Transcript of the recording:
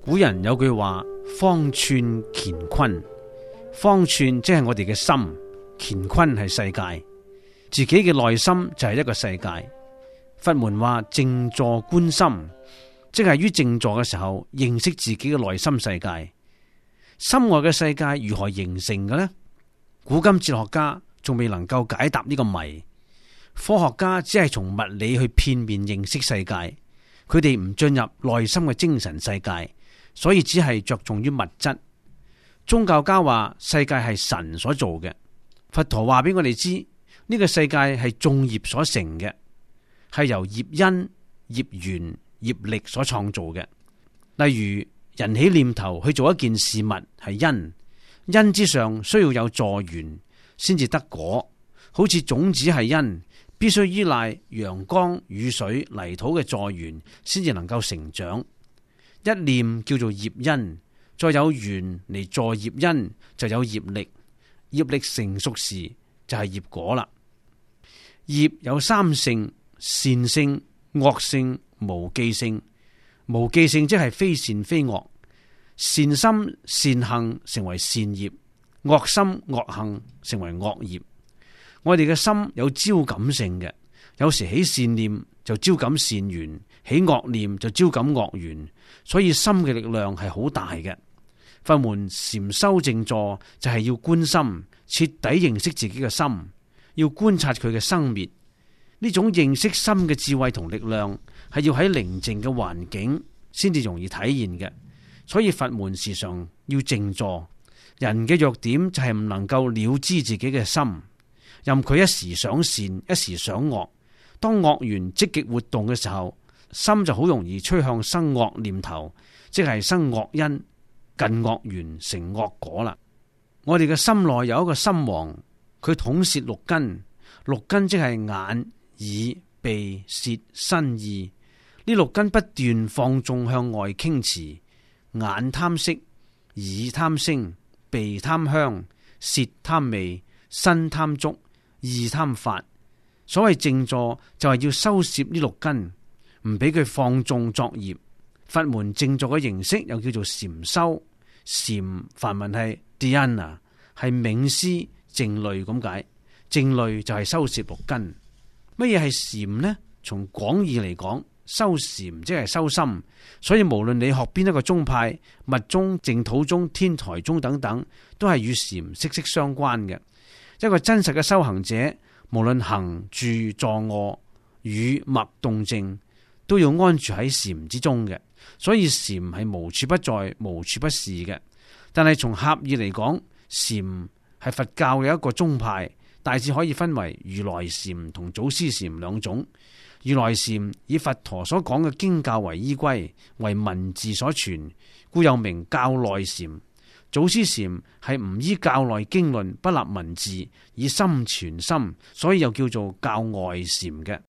古人有句話，方寸乾坤。方寸即係我哋嘅心，乾坤係世界，自己嘅內心就係一個世界。佛門話靜坐觀心，即係於靜坐嘅時候認識自己嘅內心世界。心外嘅世界如何形成嘅呢？古今哲學家仲未能夠解答呢個謎。科學家只係從物理去片面認識世界，佢哋唔進入內心嘅精神世界，所以只係着重於物質。宗教家話世界係神所做嘅，佛陀話俾我哋知呢個世界係眾業所成嘅，係由業因、業緣、業力所創造嘅。例如人起念頭去做一件事物係因，因之上需要有助緣先至得果。好似種子係因，必須依賴陽光、雨水、泥土嘅助緣先至能夠成長。一念叫做業因，再有緣嚟助業因，就有業力。業力成熟時就係業果啦。業有三性：善性、惡性、無記性。無記性即係非善非惡。善心善行成為善業，惡心惡行成為惡業。我哋嘅心有招感性嘅，有時起善念就招感善緣，起惡念就招感惡緣，所以心嘅力量係好大嘅。佛門禪修靜坐就係要觀心，徹底認識自己嘅心，要觀察佢嘅生滅。呢種認識心嘅智慧同力量係要喺寧靜嘅環境先至容易體現嘅，所以佛門時常要靜坐。人嘅弱點就係唔能夠了知自己嘅心，任佢一時想善，一時想惡。當惡緣積極活動嘅時候，心就好容易趨向生惡念頭，即係生惡因，近惡緣成惡果啦。我哋嘅心內有一個心王，佢統攝六根，六根即係眼、耳、鼻、舌、身、意。呢六根不斷放縱向外傾馳，眼貪色，耳貪聲，鼻貪香，舌貪味，身貪觸，意貪法。所謂靜坐就係要收攝呢六根，唔俾佢放縱作業。佛門靜坐嘅形式又叫做禪修。禪梵文係 dhyana， 係冥思靜慮咁解。靜慮就係收攝六根。乜嘢係禪呢？從廣義嚟講，修禪即係修心。所以無論你學邊一個宗派，密宗、淨土宗、天台宗等等，都係與禪息息相關嘅。一個真實嘅修行者，無論行住坐臥、語默動靜，都要安住喺禪之中嘅。所以禪係無處不在、無處不是嘅。但係從狹義嚟講，禪係佛教嘅一個宗派，大致可以分為如來禪同祖師禪兩種。如來禪以佛陀所講嘅經教為依歸，為文字所傳，故又名教內禪。祖師禪係唔依教內經論，不立文字，以心傳心，所以又叫做教外禪嘅。